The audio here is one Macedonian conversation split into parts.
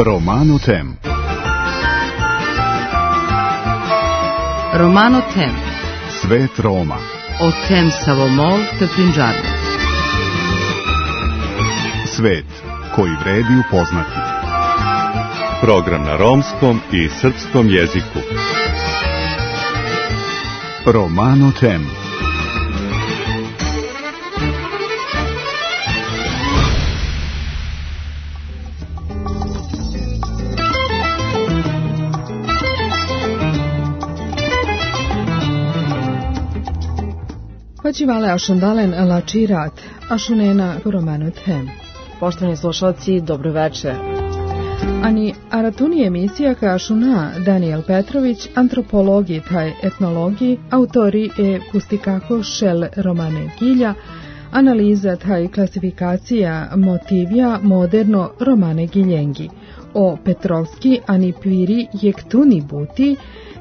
Romano Tem. Romano Tem. Svet Roma. O Tem Savomol te Punjabi. Svet koji vredi upoznati. Program na romskom i srpskom jeziku. Romano Tem. Počivale ašundalen lačirat, ašunena Romano Tem. Poštovani slušalci, dobro večer. Ani aratuni emisija ka ašuna Daniel Petrović, antropologi taj etnologi, autori e pustikako šel romane gilja, analiza taj klasifikacija motivija moderno romane giljengi, o Petrovski ani piri jektuni buti,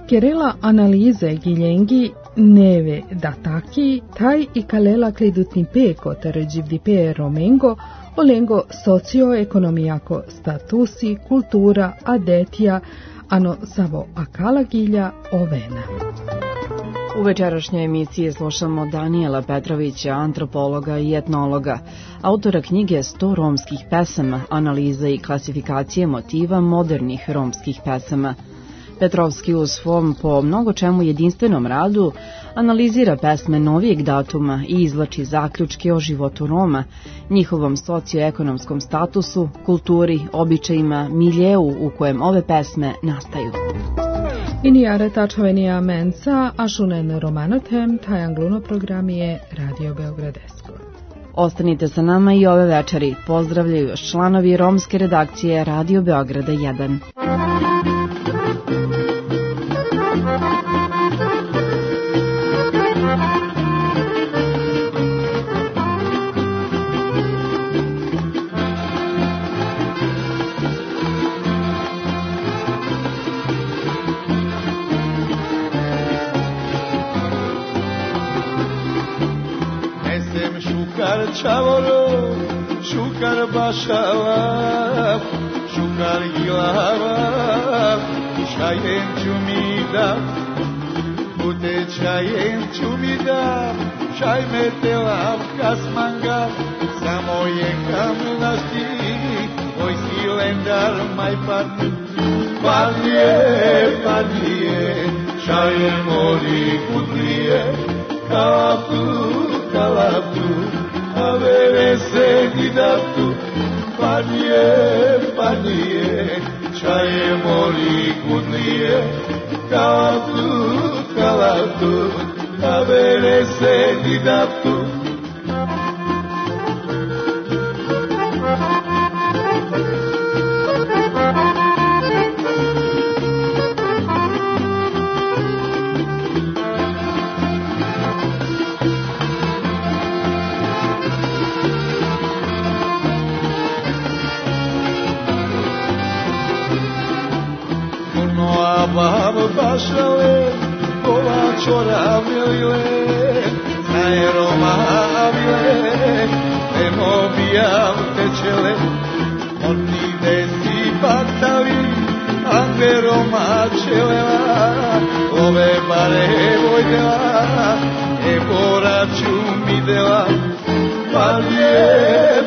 kerela analize giljengi neve dataki, taj i kalela klidutni peko taređivdipe romengo, olengo socioekonomijako statusi, kultura, adetija, ano savo akala gilja ovena. U večerašnjoj emisiji slušamo Daniela Petrovića, antropologa i etnologa, autora knjige 100 romskih pesama, analiza i klasifikacije motiva modernih romskih pesama. Petrovski u svom po mnogo čemu jedinstvenom radu analizira pesme novijeg datuma i izvlači zaključke o životu Roma, njihovom socioekonomskom statusu, kulturi, običajima, miljeu u kojem ove pesme nastaju. Inijare tačavenija menca, ašunen Romano Tem, taj angluno program je Radio Beogradesko. Ostanite sa nama i ove večeri. Pozdravljaju još članovi romske redakcije Radio Beograda 1. Chavolo, shukar bashala, shukar gilava, shayen chumida, bute shayen chumida, shay metelav kasmanga, samoye kamlasti, oi silendar mai parni, parnie, shayen mori kudlie, kalapu, avere seguidato, panie, čaje moli kudlije, kalatu, avere seguidato. Bašale, kolačo ravile, znaje Roma avile, nemo bijav tečele, oni desi patali, ange Roma čelela, ove bare vojdela, boraču mi dela,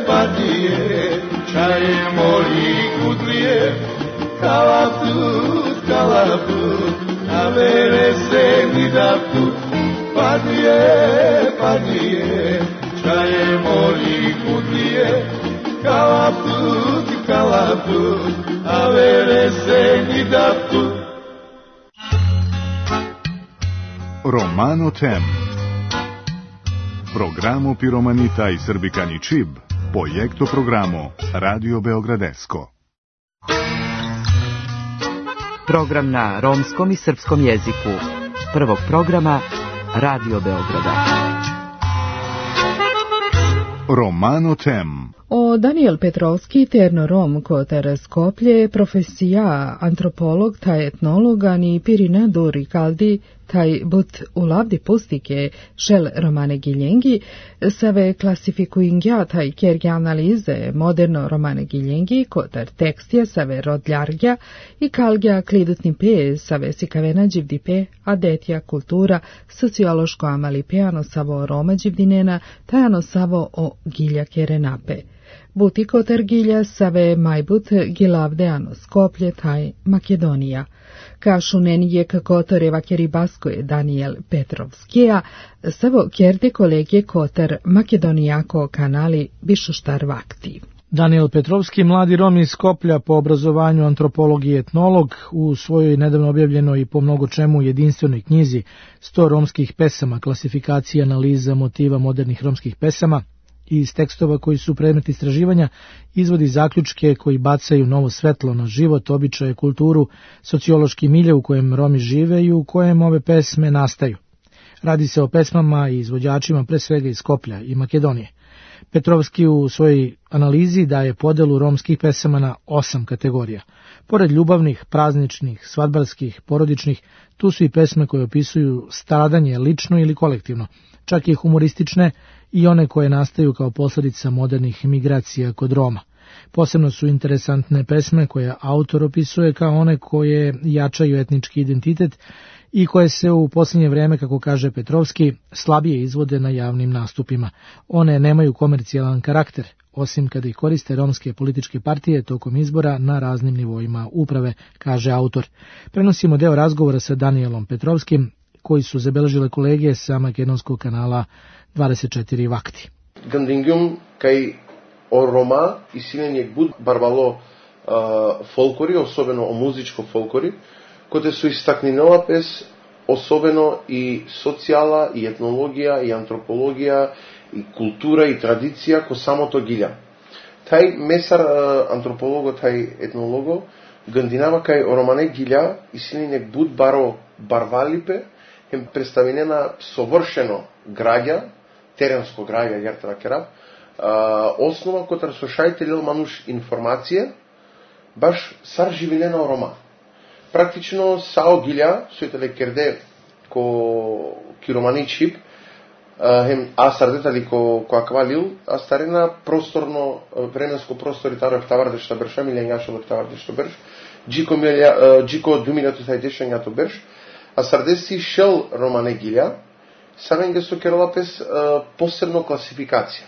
padije, čaje moli kudlije, kalatu, avere seguidato, padie, čaje moli kudlije, kalatu, avere seguidato. Romano Tem. Programo Piromanita i Srbikani Čib, projekto programo Radio Beogradesko. Program na romskom i srpskom jeziku. Prvog programa Radio Beograda. Romano Tem. O Daniel Petrovski, ternorom kotar Skoplje, profesija antropolog, taj etnolog, ani pirina duri kaldi, taj but ulavdi pustike, šel romane giljengi, save klasifikuingja taj kerge analize moderno romane giljengi, kotar tekstija save rodljargja i kalgja klidutni pe, save sikavena dživdi pe, a detja kultura, sociološko amalipeano savo roma dživdinena, tajano savo o gilja kerenape. Buti kotar gilja save majbut gilavdeano Skoplje taj Makedonija. Kašunen je kotar evakeri baskoje Daniel Petrovskija, savo kerde kolege kotar Makedonijako kanali Bišuštar vakti. Daniel Petrovski, mladi Rom iz Skoplja, po obrazovanju antropolog i etnolog, u svojoj nedavno objavljenoj i po mnogo čemu jedinstvenoj knjizi 100 romskih pesama, klasifikacija i analiza motiva modernih romskih pesama, i iz tekstova koji su predmet istraživanja izvodi zaključke koji bacaju novo svetlo na život, običaje, kulturu, sociološki milje u kojem Romi žive i u kojem ove pesme nastaju. Radi se o pesmama i izvođačima pre svega iz Skoplja i Makedonije. Petrovski u svojoj analizi daje podelu romskih pesama na 8 kategorija. Pored ljubavnih, prazničnih, svadbarskih, porodičnih, tu su i pesme koje opisuju stradanje lično ili kolektivno, čak i humoristične i one koje nastaju kao posljedica modernih migracija kod Roma. Posebno su interesantne pesme koje autor opisuje kao one koje jačaju etnički identitet i koje se u posljednje vreme, kako kaže Petrovski, slabije izvode na javnim nastupima. One nemaju komercijalan karakter, osim kada ih koriste romske političke partije tokom izbora na raznim nivoima uprave, kaže autor. Prenosimo deo razgovora sa Danielom Petrovskim, koji su zabeležile kolege sa makedonskog kanala 24 vakti. Гандингјум кај о Рома и силен буд барбало фолклори, особено о музичко фолклори, кој се истакнинела пес, особено и социјала, и етнологија, и антропологија, и култура, и традиција, ко самото гилја. Тај месар антрополого, тај етнолого, гандинава кај о Романе гилја и силен буд баро барвалипе, хем представинена совршено граѓа, теренско граѓа, јартра керав, основа котар со шајтелил мануш информација, баш сар живинена о Рома. Практично сао гилја, сојтеле керде ко киромани чип, хем асардетали ко аквалил, а старина просторно, временско простори таро ефтаварде што берша, милјањашо ефтаварде што берш, джико 2000 берш, а сардеси шел Романе гилја, самен ге со керолапес посебно класификација.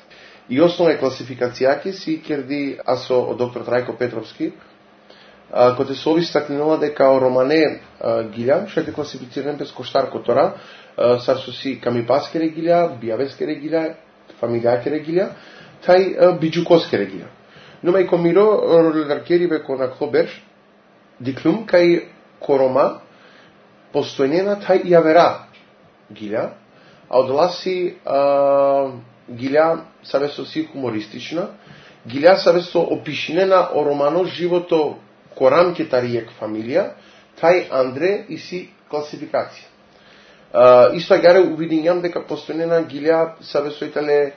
И основна класификација си керди асо доктор Трајко Петровски, кој се обистакнила дека Романе гилја, што е класифициран без коштарко тора, сарсо си камипаскере гилја, бијавескере гилја, фамилијакере гилја, тај биџукоскере гилја. Нума и комиро роларкери беко на клоберш, диклум кај корома, постојнена тај јавера гилја, а одласи гилја савесо си хумористична, гилја савесо опишинена о романо живото корамке таријек фамилија, тај Андре и си класификација. Исто гаре увидињам дека постојнена гилја савесојтеле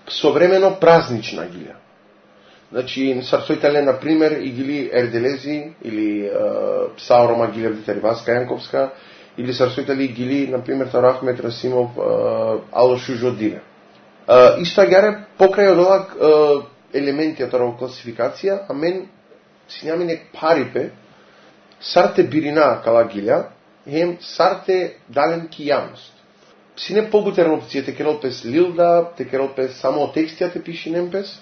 современо празнична гилја. Значи, сарсојтеле, например, и гили Ерделези, или Саорома гилја Витариваска Јанковска, или сарсојтели гили, например, Таро Ахмет Расимов, Алошу Жодине. Исто гаре покрај од елементи од класификација, а мен сињамине парипе, сарте бирина кала гилја, хем сарте дален ки јавност. Сине побутерна опција, те керолпес лилда, те керолпес само текстија те пиши немпес,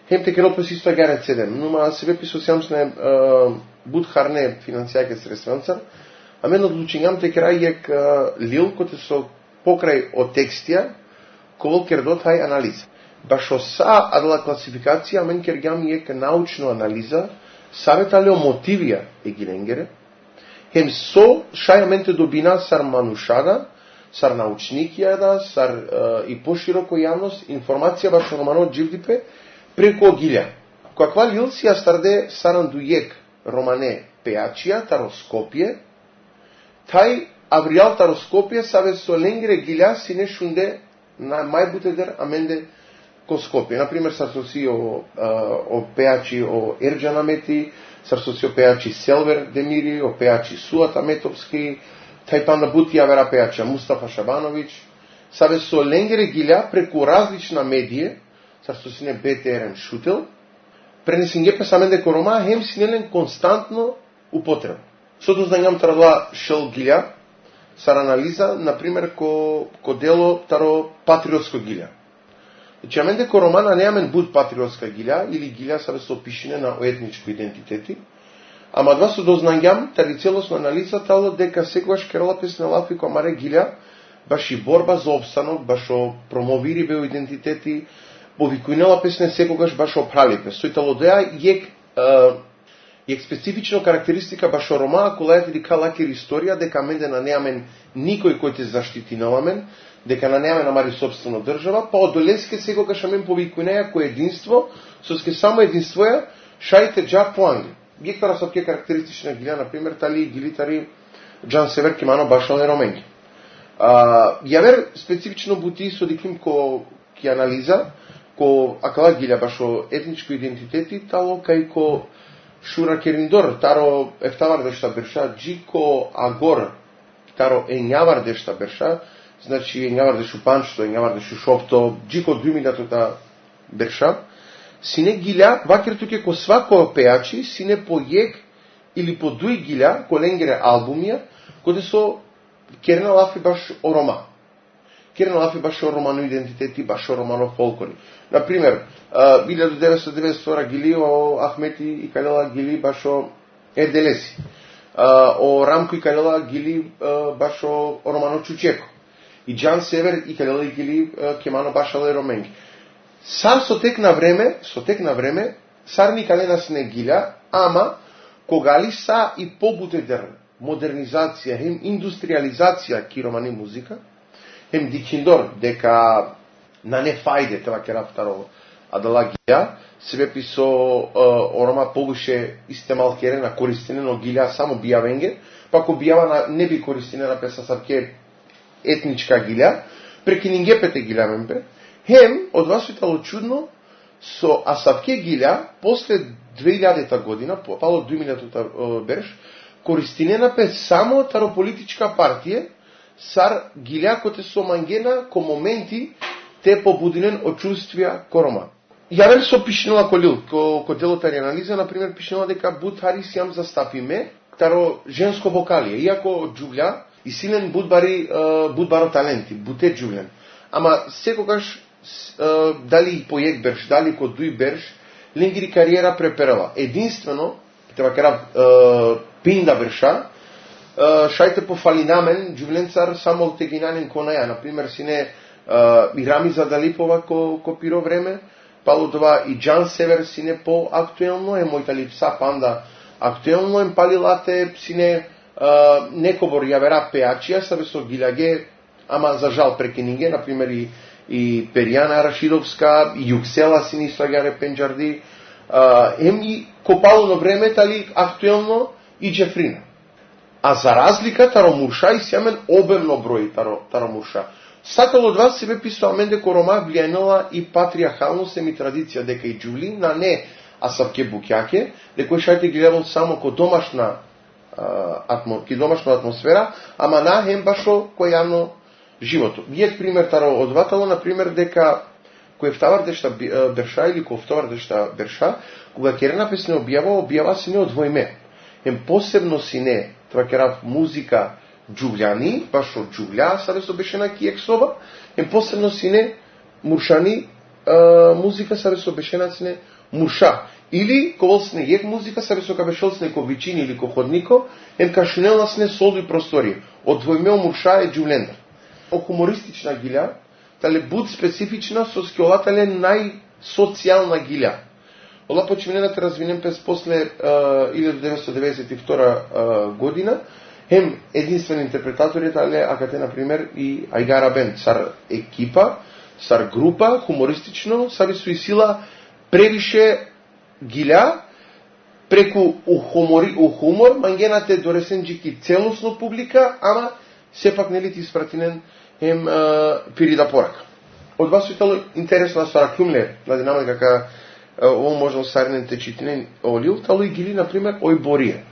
хем те керолпес исто гаре цедем. Нума себе писосјамсне будхарне финансијаке средстванцар, а мен одлучињам те крајек лил, коте со покрај од текстија, кол кердо тај анализа. Башо са адала класификација, мен кергам ек научно анализа, саветале о мотивија е гиленгере, хем со шајаменте добина сар манушада, сар научникија, сар и пошироко јавност, информација башо романо дживдипе, преко гилја. Каква лил си ја старде сарандујек Романе пеачија, тароскопие, тај Авриал тароскопие саве со ленгере гилја си не шунде на мајбутедер аменде ко Скопје. Например, сар соси о пеачи о Ерџан Амети, сар соси о пеачи Селвер Демири, о пеачи Суат Аметовски, тајпанда бутија вера пеача Мустафа Шабановиќ, саве со ленгере гилја преку различна медија, сар сосине БТРН Шутел, пренесен ге песамен деко Рома, хем синелен константно употреба. Сото знањам тарадоа шел гилја, сар анализа, например, ко дело таро патриотско гилја. Значи, амен деко Романа неамен буд патриотска гилја, или гилја саве со опишене на етничко идентитети, ама два со дознањам, тари целосно анализа тало дека секогаш керала песна лафи која маре гилја, баш и борба за обстанок, баш о промовири бео идентитети, повикујнела песне секогаш баш о пралипе. Сојтало деа ек специфично карактеристика баш о Рома, колајате дека лакер историја, дека менде на неамен никој кој те заштити наламен, дека на неамен намари собствено држава, па од долеске секогаш амен повикујнеја кој единство, соске само единствоја, шајте джа планги. Гектора со ке карактеристична гилја, например, тали гилитари Джан Север Кимано башале роменги. Јавер специфично бути со диким ко ки анализа, ко акала гилја башо етничко идентитети, тало кај ко Шура Кериндор, таро ефтавар дешта берша, джико агор, таро енјавар дешта берша, значи енјавар дешу панчто, енјавар дешу шопто, джико двимидатота берша, сине гилја, вакер туке ко свако пеачи, сине по јек или по дуј гилја, ко ленгере албумија, коде со керна лафи баш о Рома. Керна лафи баш о романо идентитети, баш о романо фолклори. Например, 1992 гили о Ахмети и Калела гили баш о Ерделеси. О Рамко и Калела гили баш о романо Чучеко. И Джан Север и Калела гили кемано баш о роменги. Сар со тек на време, сар никаде нас не гиля, ама когали са и побутедер модернизација, хем индустриализација ки романи музика, хем дикиндор дека на не фајде това ке рафтаро адала гилја, себе писо орома побуше истемал кере на користене, но гилја само бијавенге, па ко бијава не би користене на песа савке етничка гилја, прекинингепете гилја мемпе, хем, од вас светало чудно, со асавке гилја, после 2000-та година, пало 2000-та берш, користинена пе само тарополитичка партија, сар гилја коте со мангена, ко моменти, те побудинен од чувствија ко Рома. Јавер со пишнела колил, ко делотари анализа, например, пишнела дека буд Харис јам застапиме, таро женско вокалие, иако джугља, и силен будбаро таленти, буте джуглен. Ама секогаш, дали по јек берш, дали ко дуј берш, ленгири кариера преперала. Единствено, треба кера пинда берша, шајте по фалинамен, джувленцар само тегинанен конаја, например, сине и Рамиза Далипова ко пиро време, пало това и Джан Север сине по актуелно, е мојта липса панда актуелно, е палилате сине некобор јавера пеачија, сабе со гилјаге, ама за жал прекининге, например и Перијана Рашидовска, и Јуксела сине ислагаре Пенџарди, и копално време, тали актуелно и Джефрина. А за разлика таро Мурша и сјамен обемно број таро Мурша. Сакал од вас себе писал мен дека Рома влијанела и патриархалност и традиција, дека и Джули на не асавке букјаке, дека шајте ги гледал само ко домашна атмосфера, ама на хем башо кој јавно живото. Вијек пример таро одватало, например, дека кој втавар дешта берша или кој втовар дешта берша, кога керена песне објава си не одвојме. Хем посебно си не, това керав музика джуглјани, баш од джуглја, саде со бешена киек соба, посебно си не муршани музика, саде со бешена си не мурша. Или ковол сне јек музика, саде со кабешол сне ко вичини или ко ходнико, кашнелна сне солди простори. Од двојмео мурша е джуглендер. О хумористична гилја, тале буд специфична, со скиолатале најсоцијална гилја. Ола починената развинем през после 1992 година, хем единствен интерпретатор е тале акате, например, и Ајгара Бенд, сар екипа, сар група, хумористично, саби со и сила превише гилја, преку у хумор, мангенате доресенџики целосно публика, ама сепак нели ти испратинен хем пирида порака. од вас итало интересно стара кумле, на динамика дека ово можно сарнен течитинен олил, тало и гили, например, ој борие.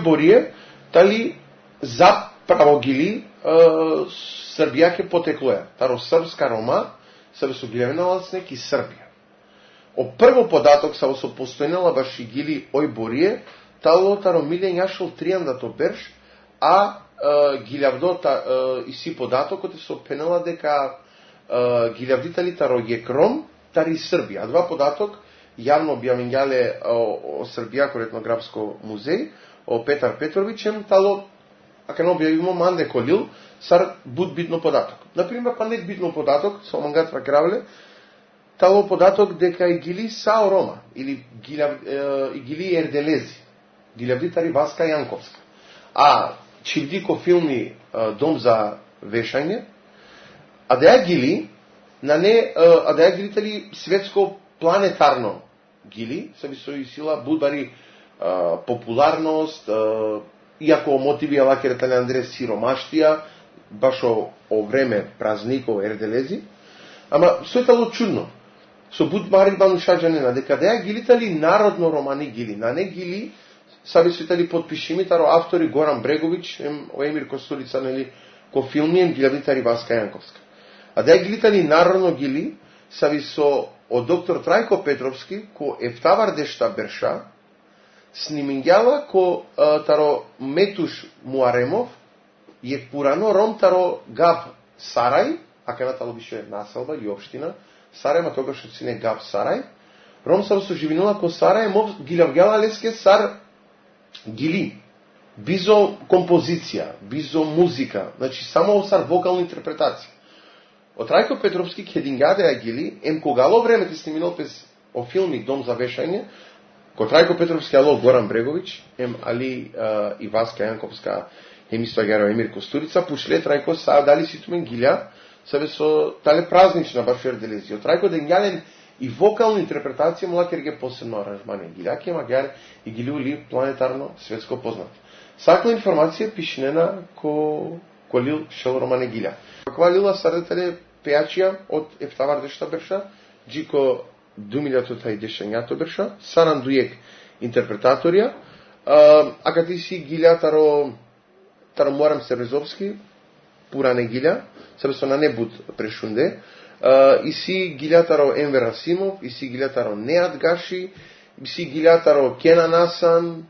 Борие, тали заправо гили Србија ке потеклоја. Таро српска рома се весоглевена снеки Србија. О прво податок са со постојнала баш и гили ој Борие, тало таро милен јашол тријандато берш, а гилјавдота и си податокот е со пенала дека гилјавдитали таро јекром, тари Србија. А два податок јавно објавењале о Србија етнографско музеј, о Петар Петровичем, тало, ака не објавимо манде колил, сар буд битно податок. Например, па не битно податок, со мангат вакравле, тало податок дека и гили Сао Рома, или и гили Ерделези, гилјавдитари Васка Јанковска. А чивдико филми Дом за вешање, а да ја гили, а да ја гилитали светско планетарно гили, се би со сила будбари популарност, иако мотиви лакерата на Андрес сиромаштија, баш о време празников Ерделези, ама сојтало чудно. Со будбари банушаджанена, дека да ја гилитали народно романи гили, на не гили, саби сојтали подпишими, таро автори Горан Брегович, Емир Костурица, нели, ко филмием гилјавдитари Васка Јанковска. А да ја гилитали народно гили, саби со од доктор Трајко Петровски, ко Ефтавар Дешта Берша, снимињала ко таро Метуш Муаремов, је пурано ром таро Габ Сарај, а кајна беше населба и општина, Сарај, ма тогаш од сине Габ Сарај, ром саро со живинила ко Сарај, мов гилјавгјала леске сар гили, бизо композиција, бизо музика, значи само сар вокална интерпретација. Од Трајко Петровски кедингаде ја гили, когало време те сниминал пес о филми Дом за вешање, ко Трајко Петровски ало Горан Брегович, али и Васка Јанковска, исто геро Емир Костурица, пушле Трајко са дали ситумен гилја, себе со тале празнична баш Ерделези. Од Трајко дењален и вокална интерпретација млакер ге посебно аранжмани гилјаки, магар и гилиули планетарно светско познат. Сакла информација пишнена ко лил шел романе гилја. Каква лила сардетеле пејачија од Ефтавар Дешта Берша, джико 2010 берша, саран дуек интерпретаторија, а кати си гилја таро Муарам Сербезовски, пура не гилја, себе со на не буд прешунде, и си гилја таро Енвер Расимов, и си гилја таро Неат Гаши, и си гилја таро Кенан Асан,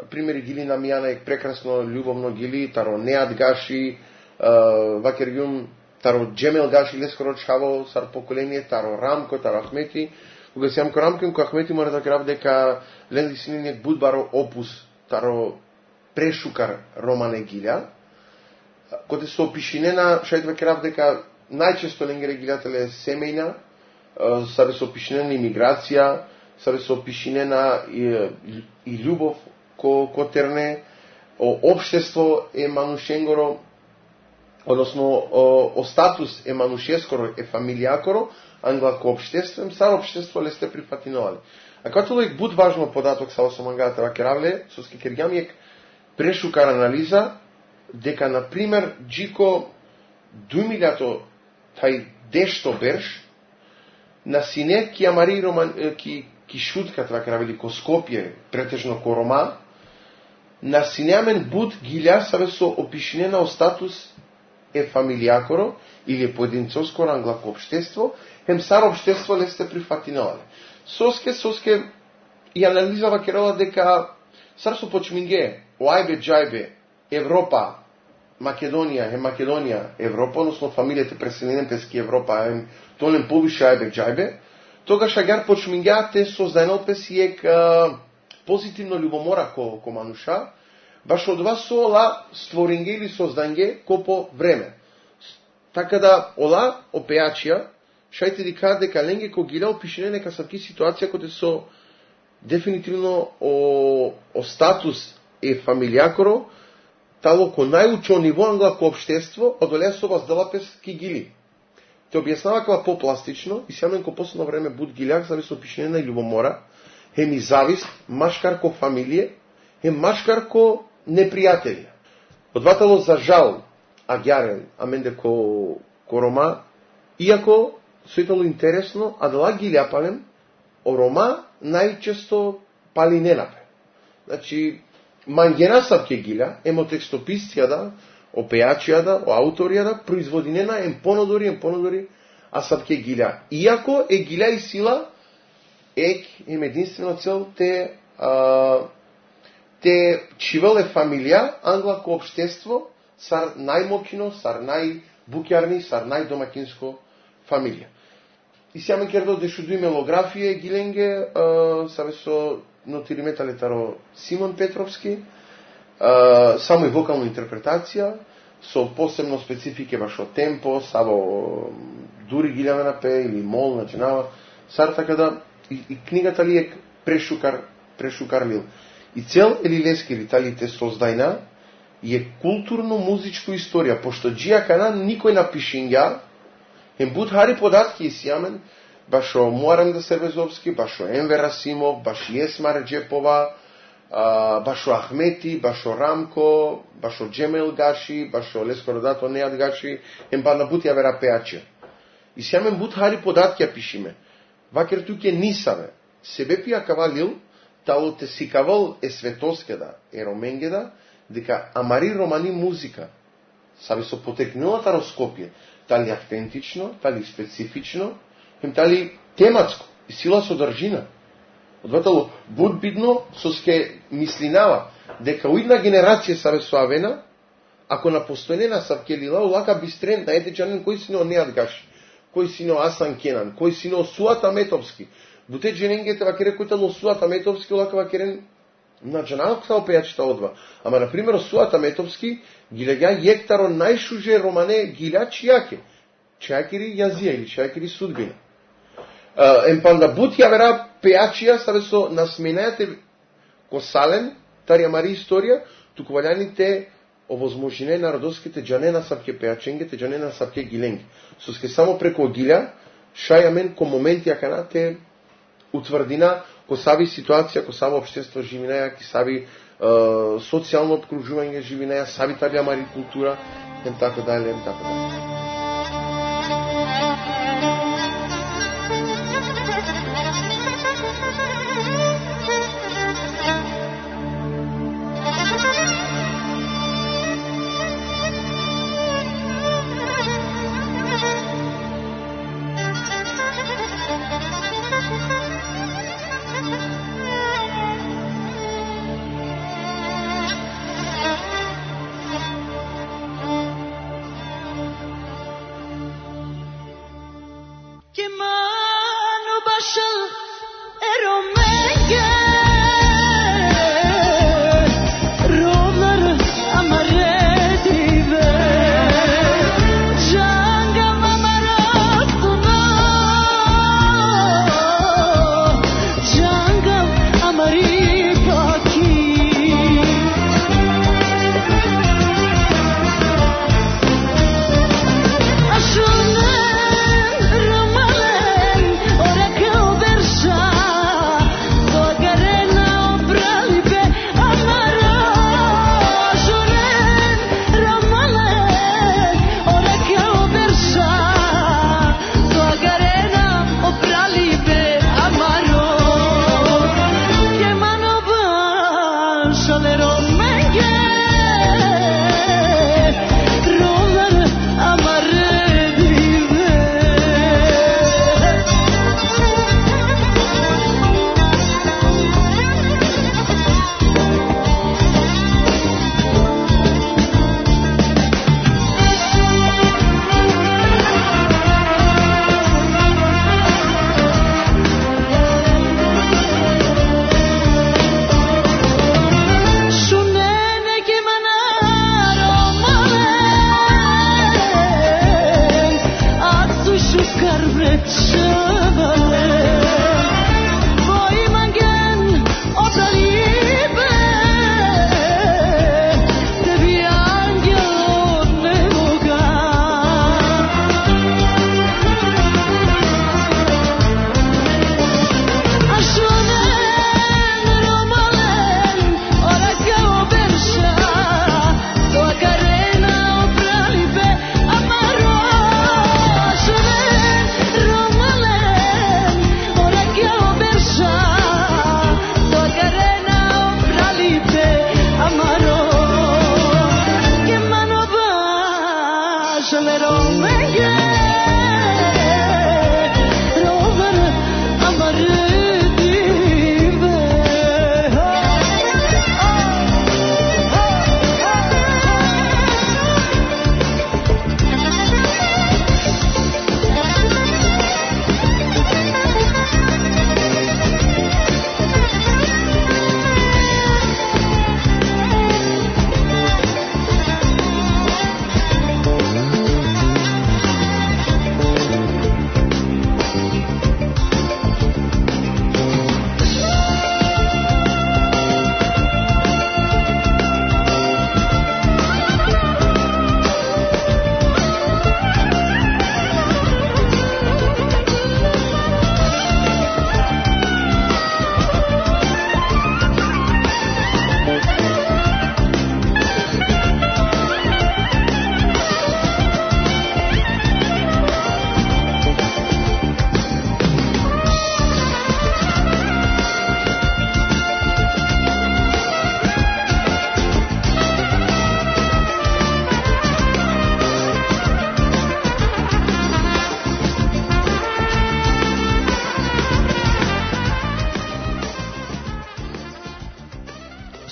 примери гили на Мијана е прекрасно, љубовно гили, таро Неат Гаши, вакергјум, таро Джемел Гаши, лескоро чаво, сар поколение, таро Рамко, таро Ахмети. Кога си јамко Рамко, ко Ахмети мора да крав дека ленди сининек будбаро опус, таро прешукар романе гилја, коте со опишинена, шајдва крав дека најчесто ленгере гилјателе семејна, сабе со опишинена имиграција, сабе со опишинена и љубов ко терне, општество е манушенгоро, односно о статус е манушескоро, е фамилијакоро, англако општество, сар општество ле сте прифатиновали. А като лек буд важно податок са осомангата вакеравле, со скекергјамиек прешукар анализа, дека, например, Джико 2000 тај дешто берш, на сине ки амари роман, ки шутка това кравели ко Скопје, претежно ко Рома, на синеамен буд гилја сабе со опишнена о статус е фамилијакоро или е поединцовскоро англако општество, хем сар општество ле сте прифатиновале. Соске и анализава керала дека сар со почминге, оајбе джајбе, Европа, Македонија, Македонија, Европа, односно фамилијата преселенен пески Европа, тонем повише ајбе джајбе, тогаш агар почмингеате создајнал песиек позитивно љубомора ко мануша, баш од вас со ола створинге или созданге ко по време. Така да, ола опеачија, шајте ди кажа дека ленге ко гилја опишене нека савки ситуација коте со дефинитивно о статус е фамилијакоро, тало ко најучо ниво англако општество, одолеа со вас делапес ки гили. Те објаснава кога попластично и сјамен ко последно време буд гилјак зави со опишене на љубомора, хем и завист, машкар ко фамилие, хем машкар ко непријатели. Одватало за жал, агјарен, аменде ко Рома, иако соитало интересно, а дала гилјапалем, о Рома најчесто пали ненапе. Значи, мангена сабке гилја, емо текстописцијада, о пејачијада, о ауторијада, производинена ем понодори, а сабке гилја. Иако е гилја и сила, ем единствено цел те чивеле фамилија, англако општество, сар најмокино, сар најбукјарни, сар најдомакинско фамилија. И сјаме кердо дешуду и мелографија гиленге, сабе со нотириметале таро Симон Петровски, само и вокална интерпретација, со посебно специфике баш од темпо, сабо дури гилјаве на пе или мол начинава, сар така да и книгата ли е прешукар лил. И цел или лески или тали те создајна е културно-музичко историја, пошто Джија Кана никој напишинја, хем буд хари податки и сјамен, баш о Муарам Сербезовски, баш о Енвер Расимов, баш Есма Реджепова, баш о Ахмети, баш о Рамко, баш о Джемел Гаши, баш о Лескородато Неат Гаши, хем ба набути авера пеачија. И сјамен буд хари податки ја пишиме. Вакер туке нисаве, себе пија кавалил, тало те сикавал е светоскеда, е роменгеда, дека амари романи музика, саби со потекнилата Скопје, тали автентично, тали специфично, хем тали тематско, и сила содржина. Одватало, буд бидно со ске мислинава, дека уидна генерација сабе соавена, ако на постојнена савке лила, улака бистрен на етечанен кој сино Неат Гаши, кој сино Асан Кенан, кој сино Суата Метовски, буте джененгете вакере кој тало Суата Метовски, улака вакерен на джаналк са опејачите одва. Ама, например, Суата Метовски, гилега јектаро најшуже романе гиля чијакери јазија или чијакери судбина. Емпанда бут ја вера пејачија сабе со насменајате косален, тарија мари историја, туку валјаните овозможине народоските джанена сабке пејаченгете, джанена сабке гиленги. Соске само преко гилја, шајамен ко моменти јакана те утврдина, ко саби ситуација, ко саби општество живинаја, ки саби социјално обкружување живинаја, саби табија мари култура, ем така дале, ем така дале.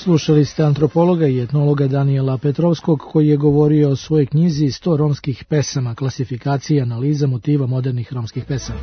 Slušali ste antropologa i etnologa Danijela Petrovskog koji je govorio o svojoj knjizi 100 romskih pesama, klasifikacija i analiza motiva modernih romskih pesama.